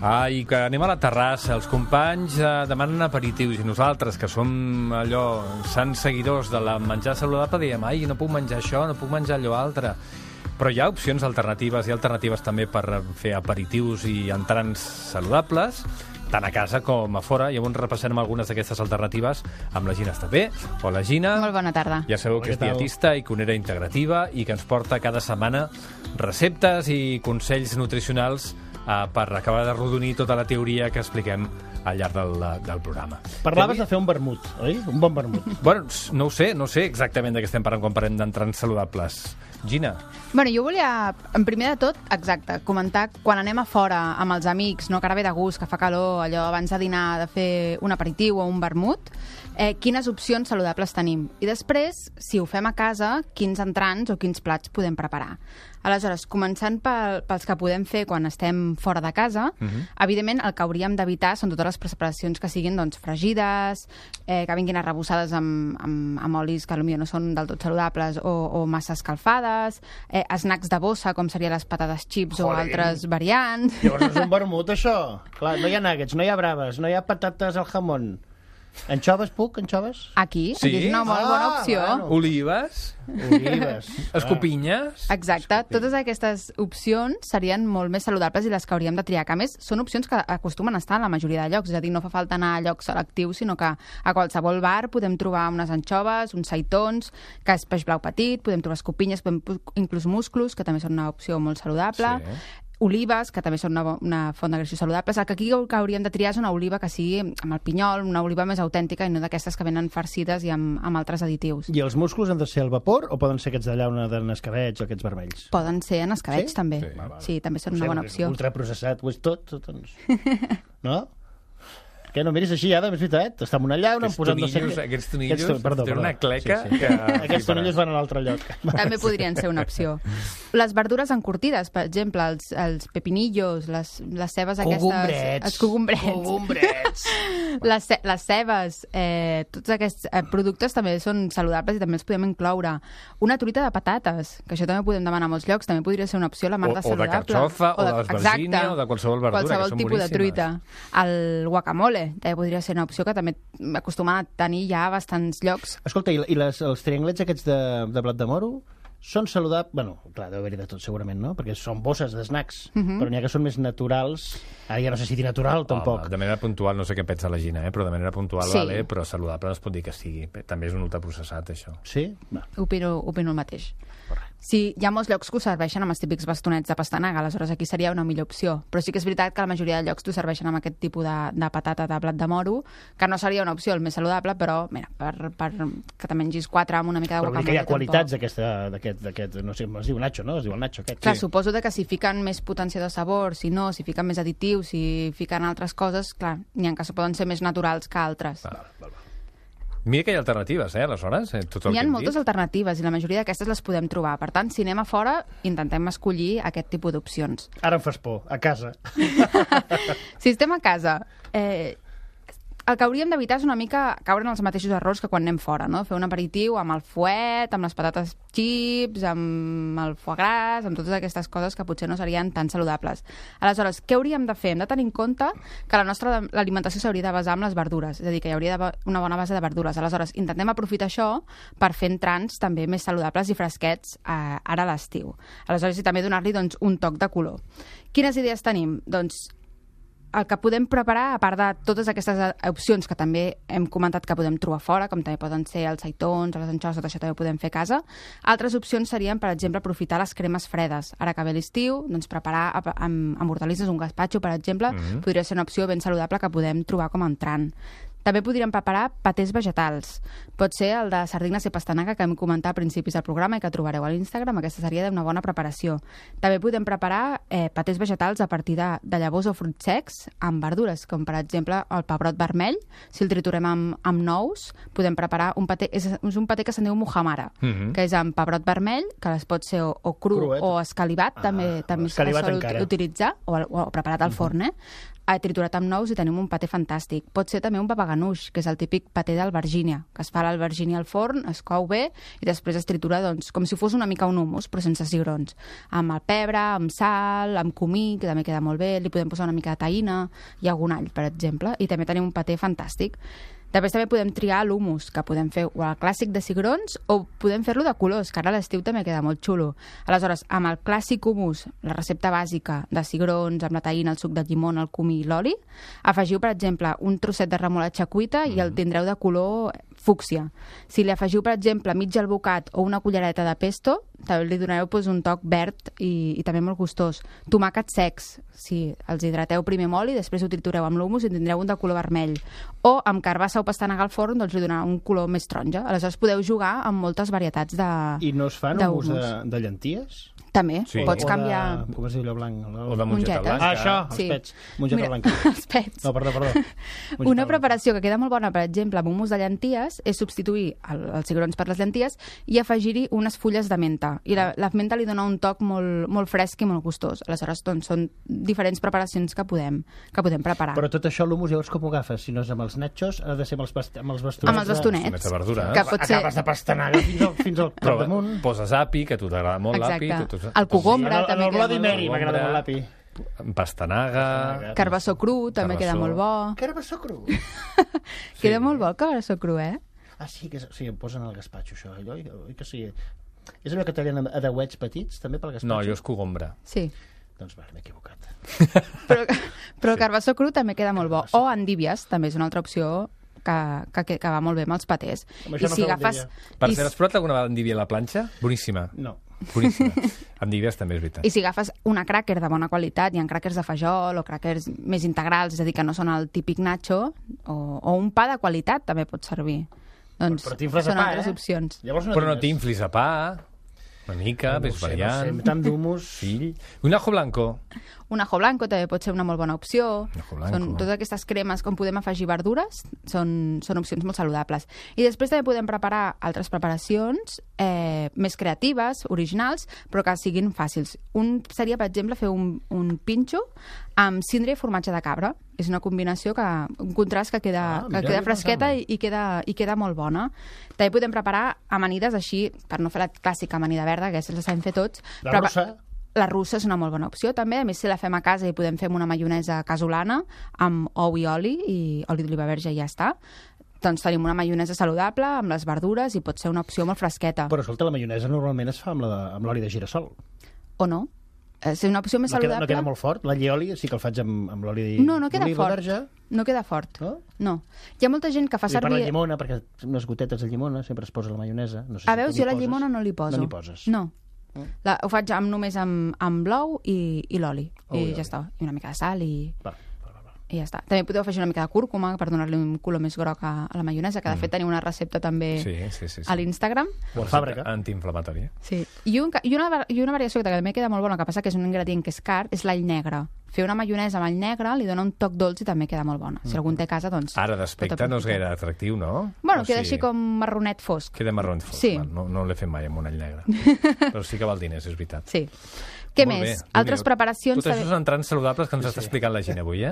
I que anem a la terrassa, els companys demanen aperitius i nosaltres, que som allò, sants seguidors de la menjar saludable, diem, no puc menjar això, no puc menjar allò altre. Però hi ha opcions alternatives, hi ha alternatives també per fer aperitius i entrants saludables, tant a casa com a fora, i avui repassarem algunes d'aquestes alternatives amb la Gina Estapé. Hola, Gina. Molt bona tarda. Ja sabeu que és dietista i cuinera integrativa i que ens porta cada setmana receptes i consells nutricionals per acabar de rodonir tota la teoria que expliquem al llarg del programa. Parlaves de fer un vermut, oi? Un bon vermut. Bueno, no ho sé exactament de què estem parlant quan parlem d'entrants saludables. Gina? Bueno, jo volia, en primer de tot, exacte, comentar quan anem a fora amb els amics, no, que ara ve de gust, que fa calor, allò abans de dinar de fer un aperitiu o un vermut, quines opcions saludables tenim. I després, si ho fem a casa, quins entrants o quins plats podem preparar. Aleshores, començant pels que podem fer quan estem fora de casa, evidentment el que hauríem d'evitar són totes les preparacions que siguin fregides, que vinguin arrebossades amb olis que potser no són del tot saludables o massa escalfades, snacks de bossa, com serien les patates chips o altres variants. Llavors és un vermut, això. Clar, no hi ha nuggets, no hi ha braves, no hi ha patates al jamón. Anxoves, puc? Anxoves? Aquí és una molt bona opció. Bueno. Olives? Escopinyes? Exacte. Totes aquestes opcions serien molt més saludables i les que hauríem de triar. Que, a més, són opcions que acostumen a estar en la majoria de llocs. És a dir, no fa falta anar a llocs selectius, sinó que a qualsevol bar podem trobar unes anxoves, uns seitons, que és peix blau petit, podem trobar escopinyes, inclús musclos, que també són una opció molt saludable. Sí. Olives, que també són una font de greixos saludables. El que aquí hauríem de triar és una oliva que sigui amb el pinyol, una oliva més autèntica i no d'aquestes que venen farcides i amb altres additius. I els musclos han de ser al vapor o poden ser aquests de llauna de nescabeig o aquests vermells? Poden ser en escabeig, sí? també. Sí, també són una bona opció. Ultraprocessat, ho és tot, doncs. No? Que no miris així, Adam, és veritat. Està en una llauna, han posat no sé què. Aquests tonillos, tenen una cleca. Sí. Aquests tonillos van a l'altre lloc. També podrien ser una opció. Les verdures encurtides, per exemple, els pepinillos, les cebes aquestes... Els cogombrets. Les cebes, tots aquests productes també són saludables i també els podem incloure. Una truita de patates, que això també podem demanar a molts llocs, també podria ser una opció, la mar de saludable. O de carxofa, o d'albergínia, o de qualsevol verdura, que són boníssimes. Qualsevol tipus de truita. El guacamole també podria ser una opció que també acostumen a tenir ja a bastants llocs. Escolta, i els trianglets aquests de blat de moro són saludables? Bueno, clar, deu haver-hi de tot segurament, no? Perquè són bosses d'snacks, però n'hi ha que són més naturals. Ara ja no sé si dir natural, tampoc. De manera puntual, no sé què pensa la Gina, però de manera puntual, sí. Vale, però saludable no es pot dir que sigui. També és un ultraprocessat, això. Sí? Va. Opino el mateix. Sí, hi ha molts llocs que ho serveixen amb els típics bastonets de pastanaga, aleshores aquí seria una millor opció. Però sí que és veritat que la majoria de llocs t'ho serveixen amb aquest tipus de patata de blat de moro, que no seria una opció el més saludable, però mira, per que te mengis 4 amb una mica de guacamole. Però hi ha qualitats d'aquest, no sé, es diu Nacho, no? Es diu el Nacho aquest. Clar, suposo que si fiquen més potència de sabor, si no, si fiquen més additius, si fiquen altres coses, clar, n'hi ha que poden ser més naturals que altres. Mira que hi ha alternatives, aleshores. Hi ha moltes alternatives i la majoria d'aquestes les podem trobar. Per tant, si anem a fora, intentem escollir aquest tipus d'opcions. Ara em fas por, a casa. Si estem a casa, el que hauríem d'evitar és una mica caure en els mateixos errors que quan anem fora, no? Fer un aperitiu amb el fuet, amb les patates chips, amb el foie gras, amb totes aquestes coses que potser no serien tan saludables. Aleshores, què hauríem de fer? Hem de tenir en compte que l'alimentació s'hauria de basar en les verdures, és a dir, que hi hauria d'haver una bona base de verdures. Aleshores, intentem aprofitar això per fer entrants també més saludables i fresquets ara a l'estiu. Aleshores, i també donar-li un toc de color. Quines idees tenim? Doncs el que podem preparar, a part de totes aquestes opcions que també hem comentat que podem trobar fora, com també poden ser els seitons, les anxoves, tot això també ho podem fer a casa. Altres opcions serien, per exemple, aprofitar les cremes fredes. Ara que ve l'estiu, doncs preparar amb hortalisses un gazpacho, per exemple, podria ser una opció ben saludable que podem trobar com a entrant. També podríem preparar patés vegetals. Pot ser el de sardines i pastanaga que hem comentat a principis del programa i que trobareu a l'Instagram. Aquesta seria d'una bona preparació. També podem preparar patés vegetals a partir de llavors o fruits secs amb verdures, com per exemple el pebrot vermell. Si el triturem amb nous, podem preparar un paté. És un paté que se'n diu muhamara, que és amb pebrot vermell, que es pot ser o cru o escalivat, també es sol utilitzar, o preparat al forn, triturat amb nous i tenim un paté fantàstic. Pot ser també un papaganoush, que és el típic paté d'albergínia, que es fa l'albergínia al forn, es cou bé i després es tritura doncs, com si fos una mica un hummus, però sense cigrons. Amb el pebre, amb sal, amb comí, que també queda molt bé, li podem posar una mica de taïna i algun all, per exemple, i també tenim un paté fantàstic. Després també podem triar l'humus, que podem fer o el clàssic de cigrons o podem fer-lo de colors, que ara a l'estiu també queda molt xulo. Aleshores, amb el clàssic humus, la recepta bàsica de cigrons, amb la taïna, el suc de llimona, el comí i l'oli, afegiu, per exemple, un trosset de remolatxa cuita i el tindreu de color fúcsia. Si li afegiu, per exemple, mig albocat o una cullereta de pesto, també li donareu un toc verd i també molt gustós. Tomàquets secs, si els hidrateu primer amb oli, després ho tritureu amb l'humus i tindreu un de color vermell. O amb carbassa o pastanaga al forn, doncs li donarà un color més taronja. Aleshores podeu jugar amb moltes varietats de I no es fan humus de llenties? També, Sí. pots canviar... Com es diu allò blanc? O de mongeta Mongetes. blanca. Això, els Sí. pets. Mongeta Mira, blanca. els pets. No, perdó. Mongeta Una blanca. preparació que queda molt bona, per exemple, amb humus de llenties, és substituir els cigrons per les llenties i afegir-hi unes fulles de menta. I la menta li dona un toc molt fresc i molt gustós. Aleshores, doncs, són diferents preparacions que podem preparar. Però tot això, l'humus, llavors com ho agafes? Si no és amb els nachos, ha de ser amb els bastonets. Amb els Bastonets bastonets. de verdura. Que pot ser... Acabes de pastanaga fins al Però capdamunt. poses api, que a tu t'agrada molt l'api. Exacte. El cogombre En també el queda Bloody molt Mary bo. m'agrada molt l'api. Pastanaga. Carbassó cru també Carbassó. queda molt bo. Carbassó cru. Queda molt bo el carbassó cru, eh? Ah, sí, sí, em posen al gaspatxo, això. Oi que sí. És allò que tallen a deuets petits, també pel gaspatxo? No, jo és cogombre. Sí. Doncs vale, m'he equivocat. Però el carbassó cru també queda molt bo. O endívies, també és una altra opció que va molt bé amb els patés. Amb això no feu Per cert, has provat alguna vegada endívia a la planxa? Boníssima. No. Boníssima. Endívies també és veritat. I si agafes una cràquer de bona qualitat, hi ha cràquers de fajol o cràquers més integrals, és a dir, que no són el típic nacho, o un pa de qualitat també pot servir. Doncs Però t'infles a són pa, altres opcions. Llavors Però no t'inflis a pa, una mica, ves variant. No sé, tant d'humus... Fill. Un ajo blanco. Un ajo blanco també pot ser una molt bona opció. Un ajo blanco. Són totes aquestes cremes com podem afegir verdures, són opcions molt saludables. I després també podem preparar altres preparacions més creatives, originals, però que siguin fàcils. Un seria, per exemple, fer un pinxo amb cindre i formatge de cabra. És una combinació, un contrast que queda fresqueta i queda molt bona. També podem preparar amanides així, per no fer la clàssica amanida verda, que aquesta la sabem fer tots. La russa? La russa és una molt bona opció, també. A més, si la fem a casa, hi podem fer una maionesa casolana amb ou i oli d'oliva verge i ja està. Doncs tenim una maionesa saludable amb les verdures i pot ser una opció molt fresqueta. Però, escolta, la maionesa normalment es fa amb l'oli de girassol. O no? És una opció més saludable. No queda molt fort? L'allioli sí que el faig amb l'oli No queda fort. verge. No queda fort. No? Hi ha molta gent que fa I per la servir... llimona, perquè unes gotetes de llimona sempre es posa la maionesa. No sé A veure, jo la llimona no li poso. No li poses? No. Ho faig només amb l'ou i l'oli. I ja està. I una mica de sal i ja està. També podeu afegir una mica de cúrcuma per donar-li un color més groc a la maionesa, que de fet tenim una recepta també Sí. a l'Instagram. O a fàbrica. Antiinflamatòria. Sí. I una variació que també queda molt bona, que passa que és un ingredient que és car, és l'all negre. Fer una maionesa amb all negre li dona un toc dolç i també queda molt bona. Si algú en té a casa, doncs... Ara d'aspecte no és gaire atractiu, no? Bueno, queda així com marronet fosc. Queda marron fosc. Sí. No l'he fet mai amb un all negre. Però sí que val diners, és veritat. Sí. Què Molt més? bé. Altres preparacions... Tot això són entrants saludables que ens està explicant la gent avui,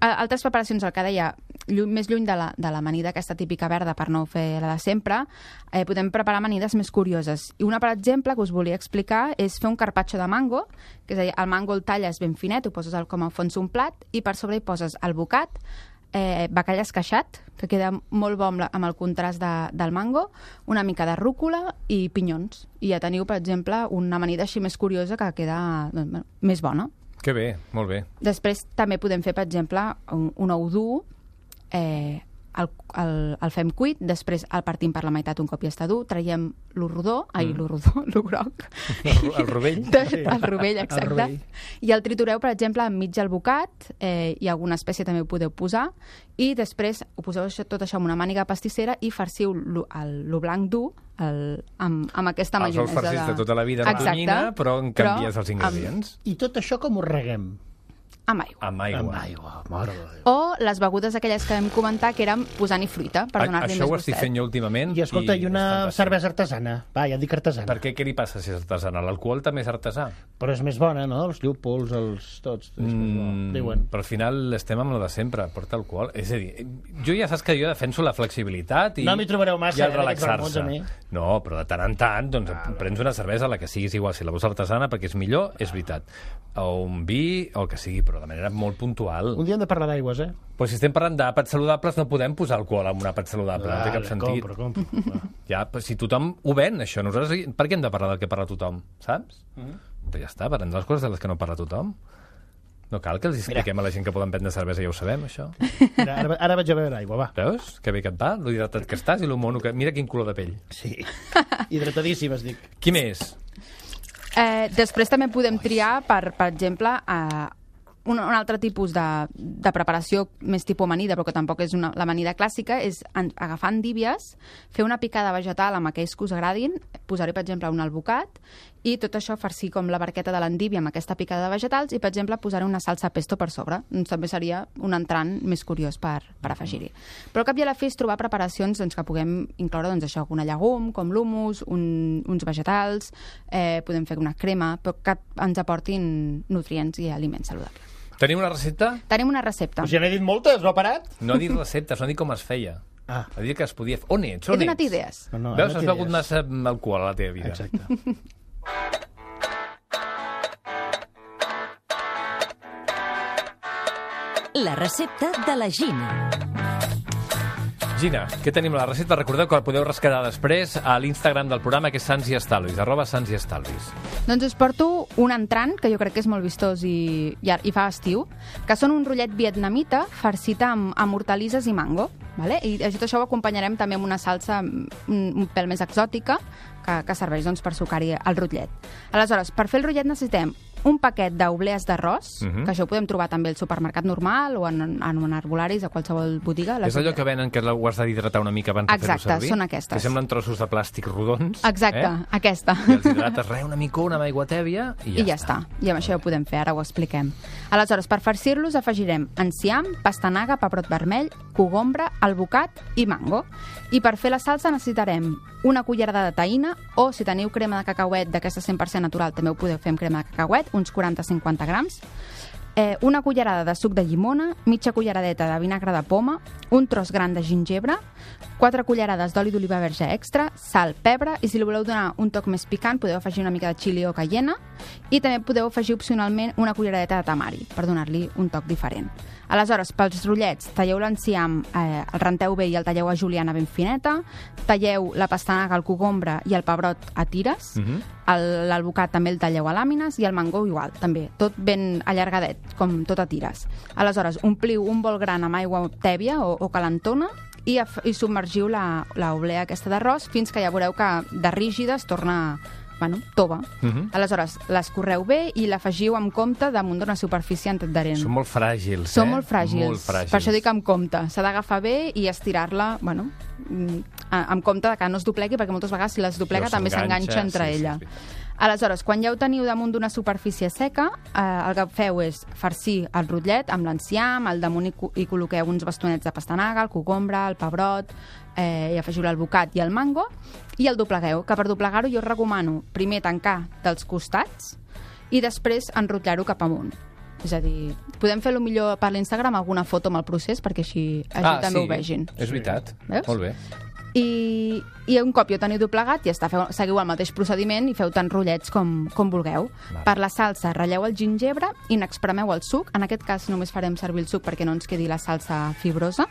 Altres preparacions, el que deia, més lluny de l'amanida aquesta típica verda per no fer la de sempre, podem preparar amanides més curioses. I una, per exemple, que us volia explicar és fer un carpaccio de mango, que és a dir, el mango el talles ben finet, ho poses com a fons un plat i per sobre hi poses el bocat, bacallà esqueixat, que queda molt bo amb el contrast del mango, una mica de rúcula i pinyons. I ja teniu, per exemple, una amanida així més curiosa que queda més bona. Que bé, molt bé. Després també podem fer, per exemple, un ou dur, el fem cuit, després el partim per la meitat un cop ja està dur, traiem lo rodó, lo groc. El rovell. El rovell, exacte. El rovell. I el tritureu, per exemple, enmig el bocat, i alguna espècie també ho podeu posar, i després ho poseu tot això en una màniga pastissera i farciu lo blanc dur amb aquesta maionesa. Els ous farcits de tota la vida, la tonyina, però en canvies els ingredients. I tot això com ho reguem? amb aigua. Amb aigua. Amb aigua, mare de Déu. O les begudes aquelles que vam comentar, que eren posant-hi fruita, per donar-li més Això ho gustet. estic fent jo últimament. I escolta, i una és fantàstic. cervesa artesana. Va, ja et dic artesana. Per què? Què li passa si és artesana? L'alcohol també és artesà. Però és més bona, no? Els llúpols, els tots. És més bo. Diuen. Però al final estem amb la de sempre, porta alcohol. És a dir, jo ja saps que jo defenso la flexibilitat i, No m'hi trobareu massa, i el aquests vermuts, relaxar-se. a mi. No, però de tant en tant doncs, prens una cervesa, la que siguis igual, si la vols artesana, perquè és millor, és veritat. O un vi, o el que sigui, però de manera molt puntual. Un dia hem de parlar d'aigües, eh? Però si estem parlant d'àpats saludables, no podem posar alcohol en un àpat saludable, no té cap sentit. Compro. Va. Ja, però si tothom ho ven, això, nosaltres per què hem de parlar del que parla tothom, saps? Però ja està, parlem de les coses de les que no parla tothom. No cal que els expliquem a la gent que poden prendre cervesa, ja ho sabem, això. Mira, ara vaig a beure aigua, va. Veus? Que bé que et va, lo hidratat que estàs i lo mono que... Mira quin color de pell. Sí. Hidratadíssim, es dic. Qui més? Després també podem triar, per exemple, un altre tipus de preparació més tipus amanida, però que tampoc és l'amanida clàssica, és agafar endívies, fer una picada vegetal amb aquells que us agradin, posar-hi, per exemple, un albocat, i tot això farcir com la barqueta de l'endívia amb aquesta picada de vegetals i, per exemple, posar-hi una salsa pesto per sobre. També seria un entrant més curiós per afegir-hi. Però al cap i a la fi és trobar preparacions doncs, que puguem incloure doncs, això, una llegum, com l'humus, uns vegetals, podem fer una crema, però que ens aportin nutrients i aliments saludables. Tenim una recepta? Tenim una recepta. Pues ja n'he dit moltes, no ha parat? No ha dit receptes, no ha dit com es feia. Ah. Ha dit que es podia fer. On ets? He On donat ets? idees. No, Veus, no has té begut idees. massa alcohol a la teva vida. Exacte. La recepta de la Gina. Gina, què tenim a la recepta? Recordeu que la podeu rescatar després a l'Instagram del programa, que és Sants i Estalvis, @SantsIEstalvis. Doncs us porto un entrant, que jo crec que és molt vistós i fa estiu, que són un rotllet vietnamita farcit amb hortalisses i mango. Vale? I tot això ho acompanyarem també amb una salsa un pèl més exòtica, que serveix doncs, per sucar-hi el rotllet. Aleshores, per fer el rotllet necessitem un paquet d'oblees d'arròs, que això ho podem trobar també al supermercat normal o en herbolaris, a qualsevol botiga. És allò que venen que ho has d'hidratar una mica abans de fer-ho servir? Exacte, són aquestes. Que semblen trossos de plàstic rodons. Exacte, aquesta. I els hidrates una micona amb aigua tèbia i ja està. I amb això ja ho podem fer, ara ho expliquem. Aleshores, per farcir-los afegirem enciam, pastanaga, pebrot vermell, cogombre, albocat i mango. I per fer la salsa necessitarem una cullerada de taïna, o si teniu crema de cacauet d'aquesta 100% natural, també ho podeu fer amb crema de cacauet, uns 40-50 grams, una cullerada de suc de llimona, mitja culleradeta de vinagre de poma, un tros gran de gingebre, 4 cullerades d'oli d'oliva verge extra, sal, pebre, i si li voleu donar un toc més picant podeu afegir una mica de xili o cayena, i també podeu afegir opcionalment una culleradeta de tamari per donar-li un toc diferent. Aleshores, pels rotllets, talleu l'enciam, el renteu bé i el talleu a juliana ben fineta, talleu la pastanaga, el cogombre i el pebrot a tires, l'albocat també el talleu a làmines i el mango igual, també, tot ben allargadet, com tot a tires. Aleshores, ompliu un bol gran amb aigua tèbia o calentona i submergiu l'oblea aquesta d'arròs fins que ja veureu que de rígida es torna tova. Aleshores, l'escorreu bé i l'afegiu amb compte damunt d'una superfície antadherent. Són molt fràgils, Són molt fràgils. Molt fràgils. Per això dic amb compte. S'ha d'agafar bé i estirar-la, amb compte que no es doblegui, perquè moltes vegades si les doblega també s'enganxa entre ella. Aleshores, quan ja ho teniu damunt d'una superfície seca, el que feu és farcir el rotllet amb l'enciam, al damunt hi col·loqueu uns bastonets de pastanaga, el cogombre, el pebrot, i afegiu l'albocat i el mango, i el doblegueu, que per doblegar-ho jo us recomano primer tancar dels costats i després enrotllar-ho cap amunt. És a dir, podem fer-lo millor per l'Instagram alguna foto amb el procés perquè així també ho vegin. És veritat. Veus? Molt bé. I un cop ja ho teniu doblegat, ja està, seguiu el mateix procediment i feu tant rotllets com vulgueu. Per la salsa, ratlleu el gingebre i n'expremeu el suc. En aquest cas només farem servir el suc perquè no ens quedi la salsa fibrosa.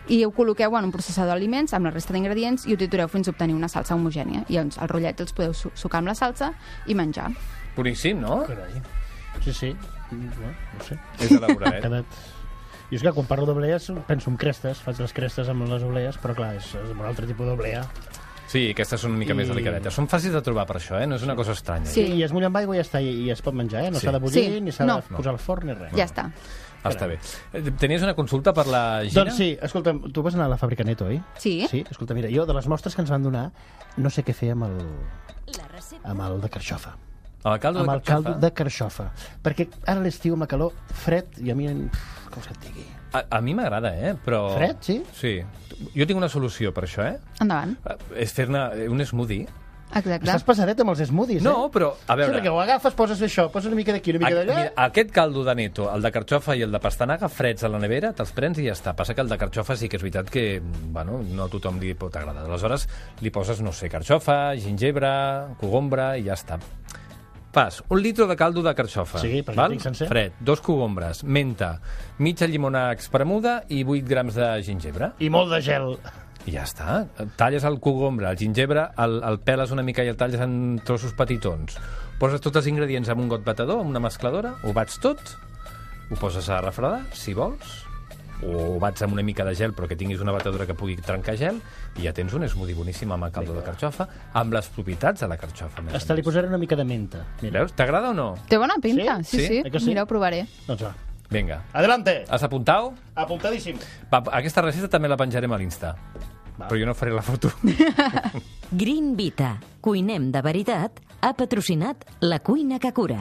I ho col·loqueu en un processador d'aliments amb la resta d'ingredients i ho tritureu fins a obtenir una salsa homogènia. I els rotllets els podeu sucar amb la salsa i menjar. Boníssim, no? Carai. Sí. No sé. És elaborat. Jo és que quan parlo d'oblees penso en crestes, faig les crestes amb les oblees, però clar, és un altre tipus d'oblea. Sí, aquestes són una mica més delicadetes. Són fàcils de trobar per això, no és una cosa estranya. Sí. I es mulla amb aigua i ja està, i es pot menjar, no s'ha de bullir, ni s'ha de posar al forn, ni res. Ja està. Està bé. Tenies una consulta per la Gina? Doncs sí, escolta, tu vas anar a la fàbrica Neto, oi? Sí. Sí, escolta, mira, jo de les mostres que ens van donar no sé què fer amb el de carxofa. Amb el caldo amb de el caldo carxofa? de carxofa. Perquè ara l'estiu amb la calor, fred, i a mi, com se et digui? A mi m'agrada, però... Fred, sí? Sí. Jo tinc una solució per això, Endavant. És fer-ne un smoothie. Exacte. Estàs pesadet amb els smoothies, No, però, a Sí, veure... perquè ho agafes, poses això, poses una mica d'aquí, una mica d'allà... Mira, aquest caldo de neto, el de carxofa i el de pastanaga, freds a la nevera, te'ls prens i ja està. Passa que el de carxofa sí que és veritat que, bueno, no a tothom li pot agradar. Aleshores, li poses, no sé, carxofa, gingebre, cogombre i ja està. Fas 1 litre de caldo de carxofa, Sí, perquè val? tinc sencer. Fred, 2 cogombres, menta, mitja llimona espremuda i 8 grams de gingebre. I molt de gel. I ja està. Talles el cogombre, el gingebre, el peles una mica i el talles en trossos petitons. Poses tots els ingredients en un got batedor, en una mescladora, ho bats tot, ho poses a refredar, si vols, o ho bats amb una mica de gel, però que tinguis una batedora que pugui trencar gel, i ja tens un smoothie boníssim amb el caldo de carxofa, amb les propietats de la carxofa. a més a Hasta li més. posaré una mica de menta. Mira. Veus? T'agrada o no? Té bona pinta, Sí? sí. Sí? Eh que sí? Mira, ho provaré. Doncs va. Vinga. Adelante. Has apuntat? Apuntadíssim. Va, aquesta recepta també la penjarem a l'Insta. Va. Però jo no faré la foto. Green Vita, cuinem de veritat, ha patrocinat La Cuina que Cura.